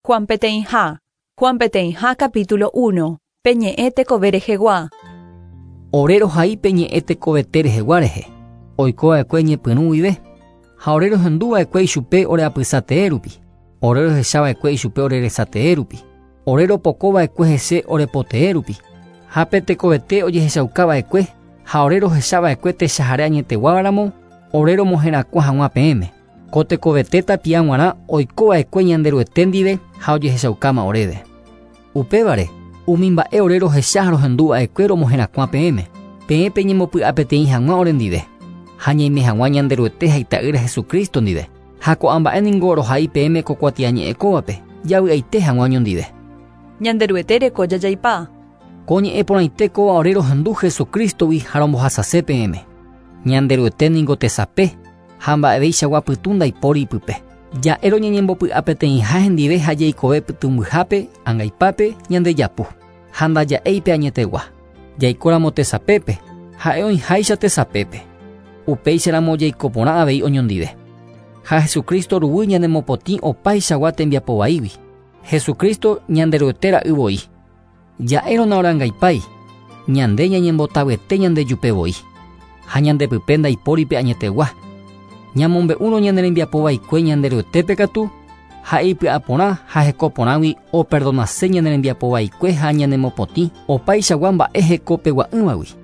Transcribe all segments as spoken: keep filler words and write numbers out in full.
Juan peteĩha. Juan peteĩha capítulo uno. Pe ñe'ẽ tekove rehegua. Ore rohai pe ñe'ẽ tekovete rehegua rehe. Oiko va'ekue ñepyrũ guive. Ha ore rohendu va'ekue ichupe ore apysatee rupi. Ore rohecha va'ekue ichupe ore resatee rupi. Ore ropoko va'ekue hese ore potee rupi. Ha pe tekovete ojehechauka va'ekue ha ore rohecha va'ekue techahare añeteguávaramo ore romoherakuã hag̃ua peẽme. Ko tekovete tapia g̃uarã oiko va'ekue Ñanderuete ndive ha ojehechaukáma oréve. Upévare, umi mba'e ore rohecha ha rohendu va'ekue romoherakuã peẽme. Peẽ peñemopy'a peteĩ hag̃ua ore ndive. Ha ñaime hag̃ua Ñanderuete ha ita'ýra Jesucristo ndive. Ha ko'ã mba'e ningo rohai peẽme ko kuatiañe'ẽ kóvape, javy'aite hag̃ua oñondive. Ñanderuete reko jajaipa. Ko ñe'ẽ porãite kóva ore rohendu Jesucristogui ha rombohasase peẽme. Ñanderuete ningo tesape ha mba'eveichagua pytũ ndaipóri ipype. Ja'e roñeñembopy'a peteĩha hendive ha jaikove pytũmbyhápe angaipápe ñandejapu. Ha ndaja'éipe añetegua. Jaikóramo tesapépe, ha'e oĩháicha tesapépe. Upéicharamo jaiko porã avei oñondive. Ha Jesucristo ruguy ñanemopotĩ opaichagua tembiapo vaígui. Jesucristo Ñanderuete ra'y voi. Ja'érõ naorangaipái, ñande ñañembotavyete ñandejupe voi. Ha ñandepype ndaipóripe añetegua. Ñamombe'úrõ ñane rembiapo vaikue Ñanderuetépe katu, ha'e ipy'aporã ha heko porãgui operdonase ñane rembiapo vaikue ha ñanemopotĩ opaichagua mba'e hekopegua'ỹvagui.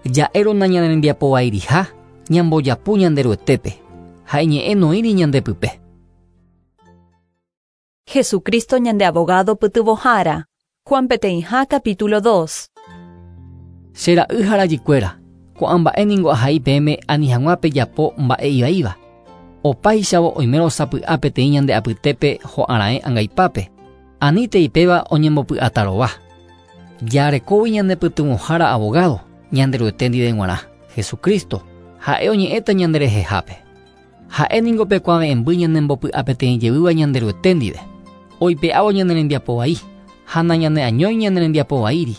Ja'érõ nañane rembiapo vairiha, ñambojapu Ñanderuetépe, ha iñe'ẽ noĩri ñandepype. Jesucristo ñande abogado pytyvõhára. Juan peteĩha capítulo dos. Che ra'y ha rajykuéra, ko'ã mba'e ningo ahai peẽme ani hag̃ua pejapo mba'e ivaíva. Opáichavo oimérõ sapy'a peteĩ ñande apytépe ho'ara'ẽ angaipápe. Anítei ipéva oñembopy'atarova. Jarekógui ñande pytyvõhára abogado, Ñanderuete ndive g̃uarã, Jesucristo, ha'e oñe'ẽta ñanderehehápe. Ha'e ningo pe kuave'ẽmby ñanembopy'a peteĩ jevýva Ñanderuete ndive. Oipe'ávo ñane rembiapo vai, ha nañaneañói ñane rembiapo vaíri.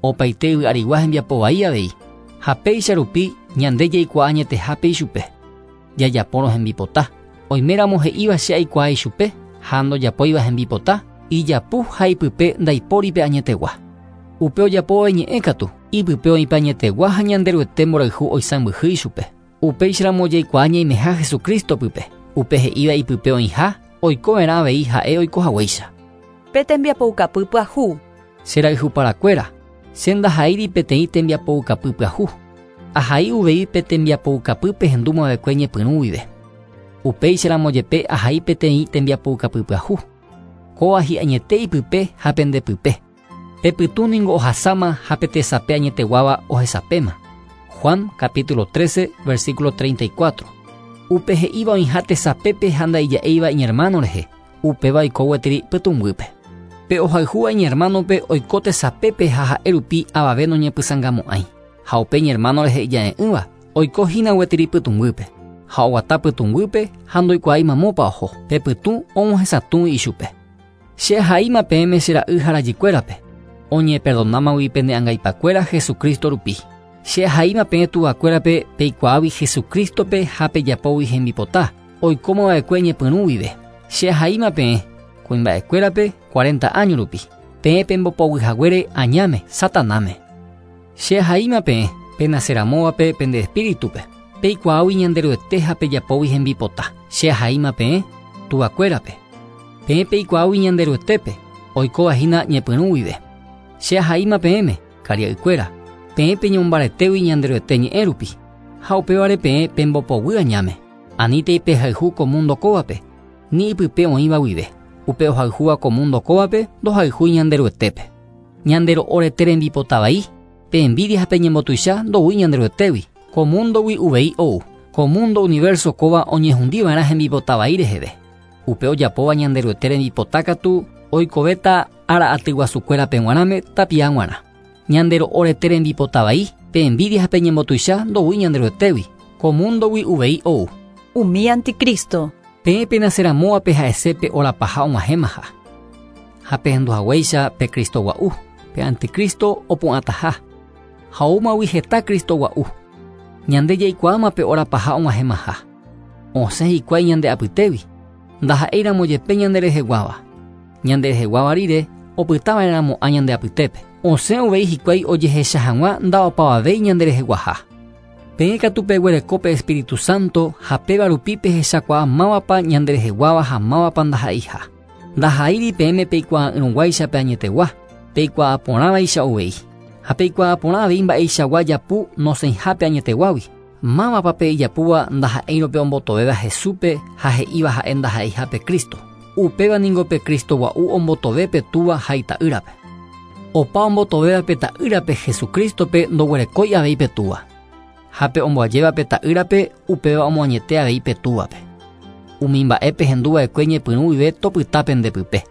Opaite yvy arigua hembiapo vai avei. Ha péicha rupi ñande jaikuaa añetehápe ichupe. Jajapórõ hembipota. Oiméramo he'íva che aikuaa ichupe, ha ndojapóiva hembipota, ijapu ha ipype ndaipóripe añetegua. Upe ojapóva iñe'ẽ katu, ipype oĩpe añetegua ha Ñanderuete mborayhu oisãmbyhy ichupe. Upéicharamo jaikuaa ñaimeha Jesucristo pype. Upe he'íva ipype oĩha, oikova'erã avei ha'e oikohaguéicha. Pe tembiapoukapy pyahu. Che ra'yhuparakuéra, che ndahaíri peteĩ tembiapoukapy pyahu. Ahai uvei pe tembiapoukapy pehendúma va'ekue ñepyrũ guive. Upéicharamo jepe ahai peteĩ tembiapoukapy pyahu. Kóva hi'añete ipype ha pendepype. Pe pytũ ningo ohasáma ha pe tesape añeteguáva ohesapéma. Juan capítulo trece, versículo treinta y cuatro. Upe he'íva oĩha tesapépe ha ndaija'éiva iñermano rehe. Upéva oiko gueteri pytũmbýpe. Pe ohayhúva iñermanope oiko tesapépe ha ha'e rupi avave noñepysãngamo'ãi. Ha upe iñermano rehe ija'e'ỹva oiko hína gueteri pytũmbýpe. Ha oguata pytũmbýpe ha ndoikuaái mamópa oho. Pe pytũ omohesatũi ichupe. Che ahaíma peẽme che ra'y ha rajykuérape. Oñeperdonámagui pende angaipakuéra Jesucristo rupi. Che ahaíma peẽ tuvakuérape peikuaágui Jesucristope ha pejapógui hembipota, oikóma va'ekue ñepyrũ guive. Che ahaíma peẽ kuimba'ekuérape cuarenta año rupi. Peẽ pembopoguyhaguére añáme, Satanáme. Che ahaíma peẽ penaceramóvape pende espíritupe. Peikuaágui Ñanderuete ha pejapógui hembipota. Che ahaíma peẽ tuvakuérape. Peẽ peikuaágui Ñanderuetépe oikóva hína ñepyrũ guive. Che ahaíma peẽme karia'ykuéra. Peẽ peñombaretégui Ñanderuete ñe'ẽ rupi. Ha upévare peẽ pembopoguy añáme. Anítei pehayhu ko mundo kóvape, ni ipype oĩva guive. Upe ohayhúva ko mundo kóvape ndohayhúi Ñanderuetépe. Ñandero'orete rembipota vai, pe envidia ha peñembotuicha ndoúi Ñanderuetégui. Ko mundogui uvei ou. Ko mundo universo kóva oñehundiva'erã hembipota vai reheve. Upe ojapóva Ñanderuete rembipota katu oikovéta ára atyguasukuérape g̃uarãme tapia g̃uarã. Ñandero'orete rembipota vai, pe envidia ha peñembotuicha ndoúi Ñanderuetégui. Ko mundogui uvei ou. Umi anticristo. Peẽ penaceramóvape ha'ese pe orapaha og̃uahẽmaha. Ha pehenduhaguéicha pe Cristo gua'u, pe anticristo opu'ãtaha. Ha oúmagui heta Cristo gua'u. Ñande jaikuaáma pe orapaha og̃uahẽmaha. Osẽ hikuái ñande apytégui, ndaha'éiramo jepe ñandereheguáva. Ñandereheguáva rire opytava'erãmo'ã ñande apytépe. Osẽ uvei hikuái ojehecha hag̃ua nda'opavavéi ñandereheguaha. Peẽ katu peguereko pe Espíritu Santo ha péva rupi pehechakuaa mávapa ñandereheguáva ha mávapa ndaha'eiha. Ndaha'éiri peẽme peikuaa'ỹrõguáicha pe añetegua, peikuaaporãvaicha uvei. Ha peikuaaporã avei mba'eichagua japu nosẽihápe añeteguágui. Mávapa pe ijapúva ndaha'éirõ pe ombotovéva Jesúspe ha he'íva ha'e ndaha'eihápe Cristo. Upéva ningo pe Cristo gua'u ombotove pe Túva ha ita'ýrape. Opa ombotovéva pe ta'ýrape Jesucristope ndoguerekói avei pe Túva. Ha pe omboajéva pe ta'ýrape upéva omoañete avei pe Túvape. Umi mba'e pehenduva'ekue ñepyrũ guive topyta pendepype.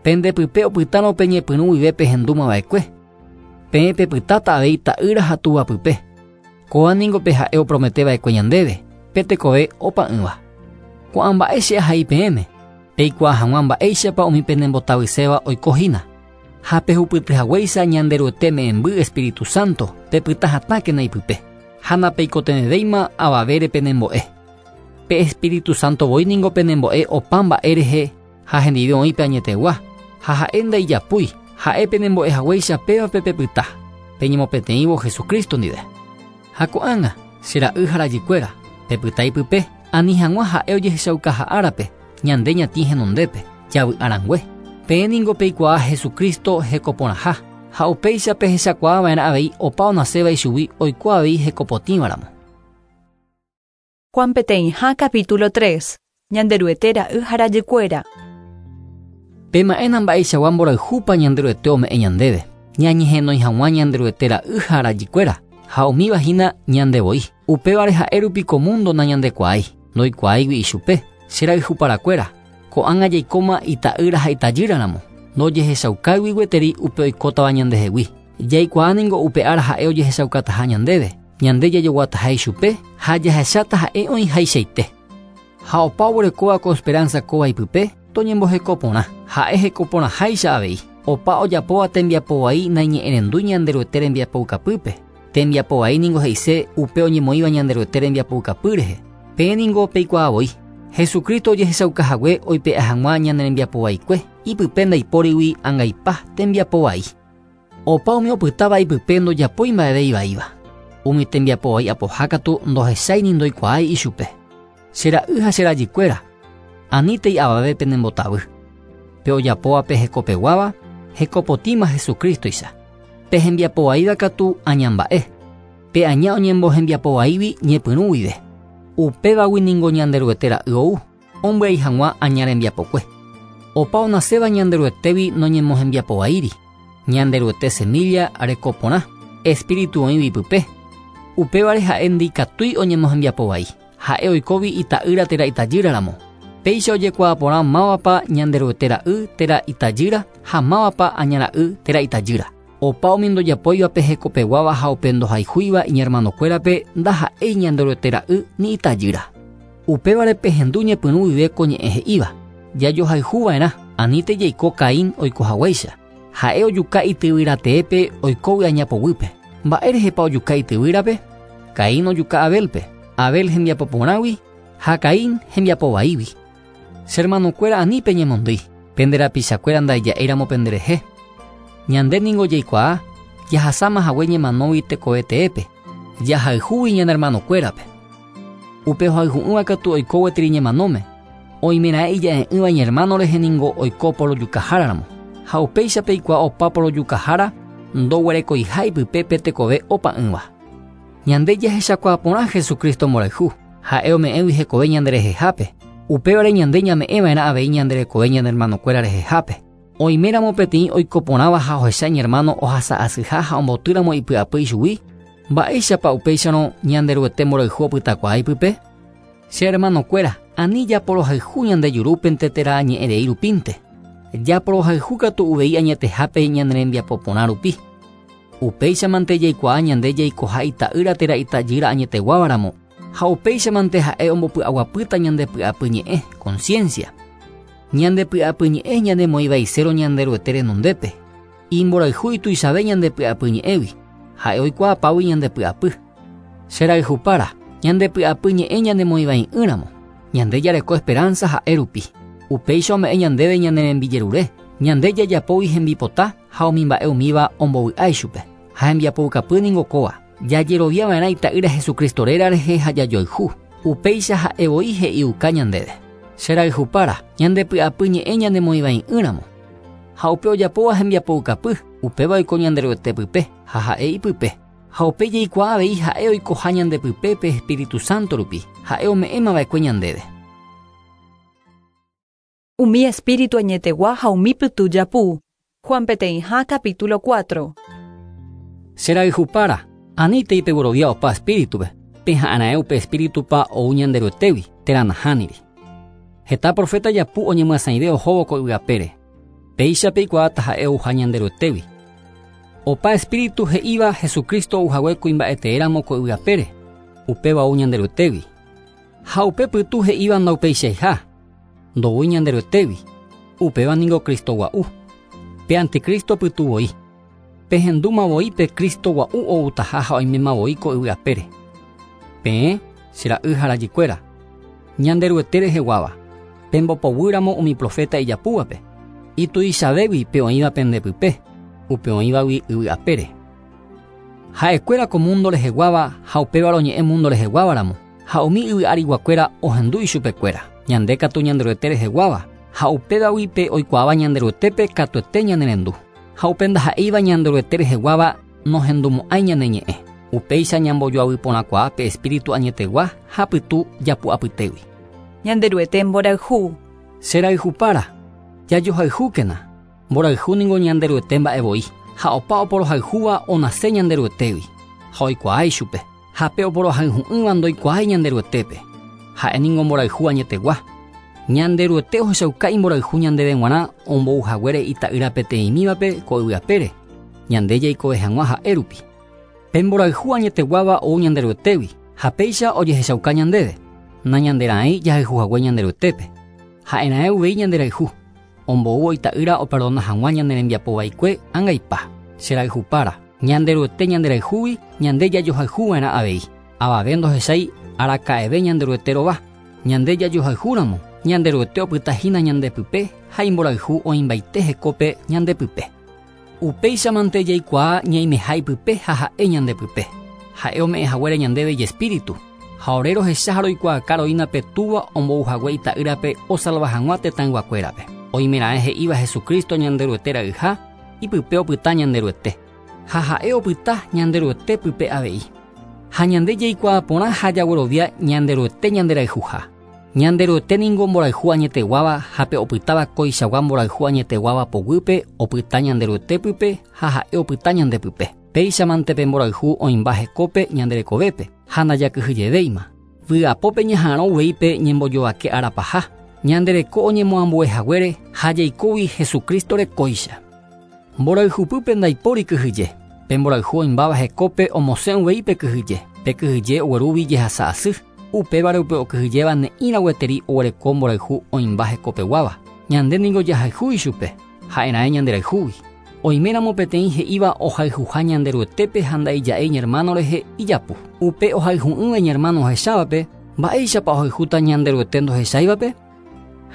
Pendepype opytárõ pe ñepyrũ guive pehendúmava'ekue. Peẽ pepytáta avei ta'ýra ha túvapype. Kóva ningo pe ha'e oprometeva'ekue ñandéve, pe tekove opa'ỹva. Ko'ã mba'e che ahai peẽme, peikuaa hag̃ua mba'éichapa umi penembotavyséva oikohína. Ha pehupytyhaguéicha Ñanderuete me'ẽmby Espíritu Santo, pepyta hatãkena ipype. Ha napeikotevẽvéima avavére penembo'e. Pe Espíritu Santo voi ningo penembo'e opa mba'e rehe ha hendive oĩ pe añetegua. Ha ha'e ndaijapúi, ha'e penembo'ehaguéicha pévape pepyta, peñemopeteĩvo Jesucristo ndive. Ha ko'ág̃a, che ra'y ha rajykuéra, pepyta ipype, ani hag̃ua ha'e ojehechaukaha árape, ñande ñatĩ henondépe, javy'arãngue. Peẽ ningo peikuaa Jesucristo hekoporãha, ha upéicha pehechakuaava'erã avei opa onaséva ichugui oiko avei hekopotĩvaramo. Juan peteĩha capítulo tres. Ñanderuete ra'y ha rajykuéra. Pema'ẽna mba'eichagua mborayhúpa Ñanderuete ome'ẽ ñandéve. Ñañehenói hag̃ua Ñanderuete ra'y ha rajykuéra, ha umíva hína ñandevoi. Upévare ha'e rupi ko mundo nañandekuaái, ndoikuaáigui ichupe. Che ra'yhuparakuéra, ko'ág̃a jaikóma ita'ýra ha itajýraramo, ndojehechaukáigui gueteri upe oikótava ñandehegui. Jaikuaa ningo upe ára ha'e ojehechaukataha ñandéve, ñande jajoguataha ichupe ha jahecháta ha'e oĩhaichaite. Ha opa oguerekóva ko esperanza kóva ipype, toñembohekoporã, ha'e hekoporãháicha avei. Opa ojapóva tembiapo vai naiñe'ẽrendúi Ñanderuete rembiapoukapýpe. Tembiapo vai ningo he'ise upe oñemoĩva Ñanderuete rembiapoukapy rehe. Peẽ ningo peikuaavoi. Jesucristo ojehechaukahague oipe'a hag̃ua ñane rembiapo vaikue, ipype ndaipórigui angaipa tembiapo vai. Opa umi opytáva ipype ndojapói mba'eve ivaíva. Umi tembiapo vai apoha katu ndohechái ni ndoikuaái ichupe. Che ra'y ha che rajykuéra, anítei avave penembotavy. Pe ojapóva pe hekopeguáva, hekopotĩma Jesucristoicha. Pe hembiapo vaíva katu añamba'e. Pe aña oñembohembiapo vaígui ñepyrũ guive. Upévagui ningo Ñanderuete ra'y ou, ombyai hag̃ua aña rembiapokue. Opa onaséva Ñanderuetégui noñemohembiapo vaíri. Ñanderuete semilla rekoporã, Espíritu oĩgui ipype. Upévare ha'e ndikatúi oñemohembiapo vai. Ha'e oikóvi ita'ýra térã itajýraramo. Péicha ojekuaaporã mávapa Ñanderuete ra'y térã itajýra ha mávapa aña ra'y térã itajýra. Opa umi ndojapóiva pe hekopeguáva ha upe ndohayhúiva iñermanokuérape ndaha'éi Ñanderuete ra'y ni itajýra. Upévare pehendu ñepyrũ guive ko ñe'ẽ he'íva. Jajohayhuva'erã, anínte jaiko Caín oikohaguéicha. Ha'e ojuka ityvyrateépe oikógui añapoguýpe. Mba'érehepa ojuka ityvýrape? Caín ojuka Abelpe. Abel hembiapoporãgui ha Caín hembiapo vaígui. Che hermanokuéra ani peñemondýi, pende rapichakuéra ndaija'éiramo penderehe. Ñande ningo jaikuaa, jahasáma hague ñemanógui tekove teépe, jahayhúgui ñane hermanokuérape. Upe ohayhu'ỹva katu oiko gueteri ñemanóme, oimera'e ija'e'ỹva iñermano rehe ningo oiko porojukaháraramo. Ha upéicha peikuaa opa porojukahára ndoguerekoiha ipype pe tekove opa'ỹva. Ñande jahechakuaaporã Jesucristo mborayhu, ha'e ome'ẽgui hekove ñanderehehápe. Upévare ñande ñame'ẽva'erã avei ñanderekove ñane hermanokuéra rehehápe. Oiméramo peteĩ oikoporãva ha ohecha iñermano ohasa'asyha ha ombotýramo ipy'apy ichugui, mba'éichapa upéicharõ Ñanderuete mborayhu opytakuaa ipype? Che hermanokuéra, ani japorohayhu ñande jurúpente térã ñe'ẽrei rupínte. Japorohayhu katu uvei añetehápe ñane rembiapo porã rupi. Upéichamante jaikuaa ñande jaikoha ita'ýra térã itajýra añeteguávaramo, ha upéichamante ha'e ombopy'aguapýta ñande py'apy ñe'ẽ, conciencia. Ñande py'apy ñe'ẽ ñanemoĩvaiséro Ñanderuete renondépe. Imborayhu ituichave ñande py'apy ñe'ẽgui, ha'e oikuaapágui ñande py'apy. Che rayhupára, ñande py'apy ñe'ẽ ñanemoĩvai'ỹramo. Ñande jareko esperanza ha'e rupi. Upéicha ome'ẽ ñandéve ñane rembijerure. Ñande jajapógui hembipota ha umi mba'e umíva ombovy'a ichupe. Ha hembiapoukapy ningo kóva. Jajeroviava'erã ita'ýra Jesucristo réra rehe ha jajoayhu. Upéicha ha'e voi he'iuka ñandéve. Cherayhupára, ñandepy'apy ñe'ẽ ñanemoĩvai'ỹramo. Ha upe ojapóva hembiapoukapy, upéva oiko Ñanderuete pype ha ha'e ipype. Ha upe jaikuaa avei ha'e oikoha ñandepype pe Espíritu Santo rupi, ha'e ome'ẽmava'ekue ñandéve. Umi espíritu añetegua ha umi pytu japu. Juan peteĩha capítulo cuatro. Cherayhupára, anítei peguerovia opa espíritupe, peha'arãe upe espíritupa ou Ñanderuetégui, térã nahániri. Heta profeta japu oñemyasãive ohóvo ko yvy apére. Péicha peikuaáta ha'e ouha Ñanderuetégui. Opa espíritu he'íva Jesucristo ouhague kuimba'eteéramo ko yvy apére, upéva ou Ñanderuetégui. Ha upe pytu he'íva ndaupeichaiha, ndoúi Ñanderuetégui, upéva ningo Cristo gua'u. Pe anticristo pytu voi. Pehendúma voi pe Cristo gua'u outaha ha oiméma voi ko yvy apére. Peẽ, che ra'y ha rajykuéra, Ñanderuete reheguáva, pembopoguýramo umi profeta ijapúvape, ituichavégui pe oĩva pendepype, upe oĩvagui yvy apére. Ha'ekuéra ko mundo reheguáva ha upéva roñe'ẽ mundo reheguávaramo, ha umi yvy ariguakuéra ohendu ichupekuéra. Ñande katu Ñanderuete reheguáva, ha upévagui pe oikuaáva Ñanderuetépe katuete ñanerendu. Ha upe ndaha'éiva Ñanderuete reheguáva nohendumo'ãi ñane ñe'ẽ. Upéicha ñambojoavyporãkuaa pe espíritu añetegua ha pytu japu'apytégui. Ñanderuete mborayhu. Cherayhupára, jajohayhúkena. Mborayhu ningo Ñanderuete mba'e voi, ha opa oporohayhúva onase Ñanderuetégui, ha oikuaa ichupe. Ha pe oporohayhu'ỹva ndoikuaái Ñanderuetépe. Ha'e ningo mborayhu añetegua. Ñanderuete ohechauka imborayhu ñandéve g̃uarã ombouhaguére ita'ýra peteĩmívape ko yvy apére, ñande jaikove hag̃ua ha'e rupi. Pe mborayhu añeteguáva ou Ñanderuetégui, ha péicha ojehechauka ñandéve. Nañanderaẽi jahayhuhague Ñanderuetépe. Ha'erãe uvei ñanderayhu. Ombou ita'ýra operdona hag̃ua ñane rembiapovaikue angaipa. Cherayhupára, Ñanderuete ñanderayhúgui, ñande jajohayhuva'erã avei. Avave ndohechái araka'eve Ñanderuete rova. Ñande jajohayhúramo, Ñanderuete opytahína ñandepype ha imborayhu oĩmbaite hekópe ñandepype. Upéichamante jaikuaa ñaimeha ipype ha ha'e ñandepype. Ha'e ome'ẽhaguére ñandéve ijespíritu. Ha ore rohecha ha roikuaaka roína pe túva ombouhague ita'ýrape osalva hag̃ua tetãyguakuérape. Oimeraẽ he'íva Jesucristo Ñanderuete ra'yha, ipype opyta Ñanderuete. Ha ha'e opyta Ñanderuete pype avei. Ha ñande jaikuaa porã ha jaguerovia Ñanderuete ñanderayhuha. Ñanderuete ningo mborayhu añeteguáva ha pe opytáva koichagua mborayhu añeteguáva poguýpe opyta Ñanderuete pype ha ha'e opyta ñandepype. Péichamante pe mborayhu oĩmba hekópe ñanderekovépe ha ndajakyhyjevéima. Vy'apópe ñaha'arõ uvei pe ñembojovake arapaha. Ñandereko oñemoambuehaguére ha jaikógui Jesucristo rekóicha. Mborayhupýpe ndaipóri kyhyje. Pe mborayhu oĩmbáva hekópe omosẽ uvei pe kyhyje. Pe kyhyje oguerúvi jehasa asy. Upévare upe okyhyjéva ne'ĩra gueteri oguereko mborayhu oĩmba hekopeguáva. Ñande ningo jahayhu ichupe, ha'erãe ñanderayhúgui. Oiméramo peteĩ he'íva ohayhuha Ñanderuetépe ha nda'ija'éi iñermano rehe ijapu. Upe ohayhu'ỹva iñermano ohechávape, mba'éichapa ohayhúta Ñanderuete ndohecháivape?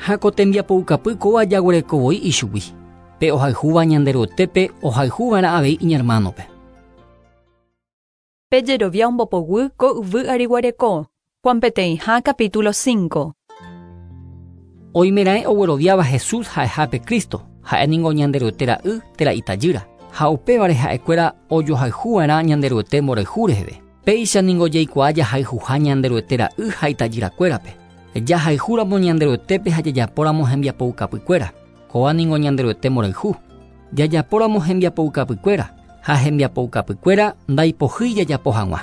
Ha ko tembiapoukapy kóva jaguereko voi ichugui. Pe ohayhúva Ñanderuetépe ohayhuva'erã avei iñermanope. Pejerovia ombopoguy ko yvy ariguareko. Juan peteĩha capítulo cinco. Oimeraẽ ogueroviáva Jesús ha'ehápe Cristo, ha'e ningo Ñanderuete ra'y térã itajýra. Ha upévare ha'ekuéra ojohayhuva'erã Ñanderuete mborayhu reheve. Péicha ningo jaikuaa jahayhuha Ñanderuete ra'y ha itajyrakuérape. Jahayhúramo Ñanderuetépe ha jajapóramo hembiapoukapykuéra. Kóva ningo Ñanderuete mborayhu. Jajapóramo hembiapoukapykuéra ha hembiapoukapykuéra ndaipohýi jajapo hag̃ua.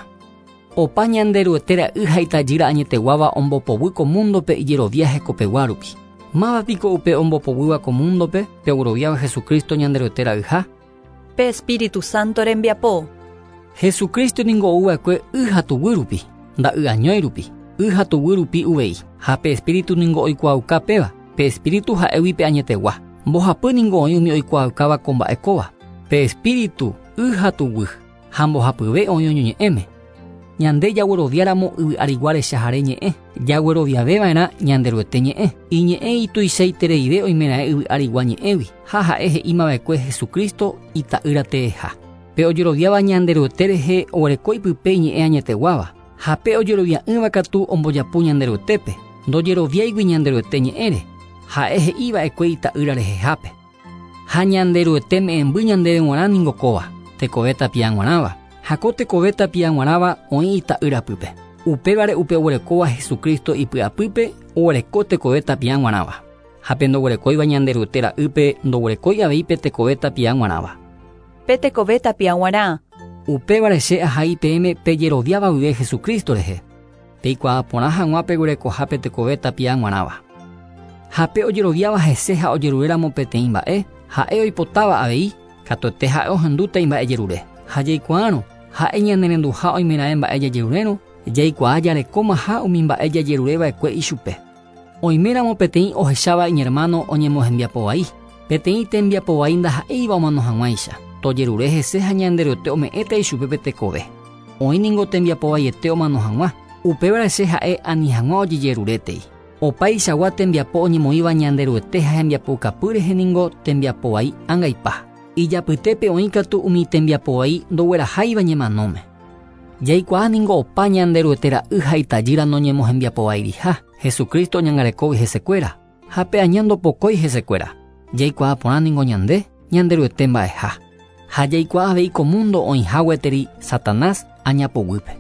Opa Ñanderuete ra'y ha itajýra añeteguáva ombopoguy ko mundope ijerovia hekopegua rupi. Máva piko upe ombopoguýva ko mundope pe ogueroviáva Jesucristo Ñanderuete ra'yha? Pe Espíritu Santo rembiapo. Jesucristo ningo ouva'ekue y ha tuguy rupi, nda'y añói rupi, y ha tuguy rupi uvei. Ha pe Espíritu ningo oikuaauka péva, pe Espíritu ha'égui pe añetegua. Mbohapy ningo oĩ umi oikuaaukáva ko mba'e kóva. Pe Espíritu y ha tuguy, ha mbohapyve oĩ oñoñe'ẽme. Ñande jagueroviáramo yvy arigua rechahare ñe'ẽ, jagueroviaveva'erã Ñanderuete ñe'ẽ. Iñe'ẽ ituichaitereive oimeraẽ yvy arigua ñe'ẽgui ha ha'e he'imava'ekue Jesucristo ita'ýra teeha. Pe ojeroviáva Ñanderuete rehe oguereko ipype iñe'ẽ añeteguáva. Ha pe ojerovia'ỹva katu ombojapu Ñanderuetépe, ndojeroviáigui Ñanderuete ñe'ẽre, ha'e he'iva'ekue ita'ýra rehehápe. Ha Ñanderuete me'ẽmby ñandéve g̃uarã ningo kóva, tekove tapia g̃uarãva. Ha ko tekove tapia g̃uarãva oĩ ita'ýra pype. Upévare upe oguerekóva Jesucristo ipy'apýpe oguereko tekove tapia g̃uarãva. Ha pe ndoguerekóiva Ñanderuete ra'ýpe ndoguerekói avei pe tekove tapia g̃uarãva. Pe tekove tapia g̃uarã. Upévare che ahai peẽme pejeroviáva guive Jesucristo rehe. Peikuaa porã hag̃ua peguerekoha pe tekove tapia g̃uarãva. Ha pe ojeroviáva hese ha ojeruréramo peteĩ mba'e, ha'e oipotáva avei, katuete ha'e ohendúta imba'ejerure. Ha jaikuaárõ, ha'e ñanerenduha oimeraẽ mba'e jajerurérõ, jaikuaa jarekómaha umi mba'e jajerureva'ekue ichupe. Oiméramo peteĩ ohecháva iñermano oñemohembiapovai, peteĩ tembiapovai ndaha'éiva omano hag̃uáicha, tojerure hese ha Ñanderuete ome'ẽta ichupe pe tekove. Oĩ ningo tembiapovaiete omano hag̃ua, upévare che ha'e ani hag̃ua ojejerurétei. Opaichagua tembiapo oñemoĩva Ñanderuete ha hembiapokapy rehe ningo tembiapovai angaipa. Ijapytépe oĩ katu umi tembiapovai ndogueraháiva ñemanóme. Jaikuaa ningo opa Ñanderuete ra'y ha itajýra noñemohembiapovairiha, Jesucristo oñangarekógui hesekuéra, ha pe aña ndopokói hesekuéra. Jaikuaa porã ningo ñande, Ñanderuete mba'eha. Ha jaikuaa avei ko mundo oĩha gueteri Satanás añapoguýpe.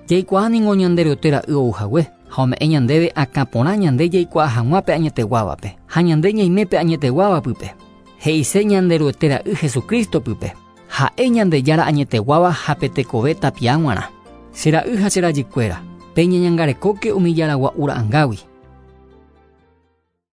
Jaikuaa ningo Ñanderuete ra'y ouhague, ha ome'ẽ ñandéve akã porã ñande jaikuaa hag̃ua pe añeteguávape, ha ñande ñaime pe añeteguáva pype. He'ise Ñanderuete ra'y Jesucristo pype. Ha'e Ñandejára añeteguáva ha pe tekove tapia g̃uarã. Che ra'y ha che rajykuéra, peñeñangarekóke umi jaragua'u ra'ãngágui.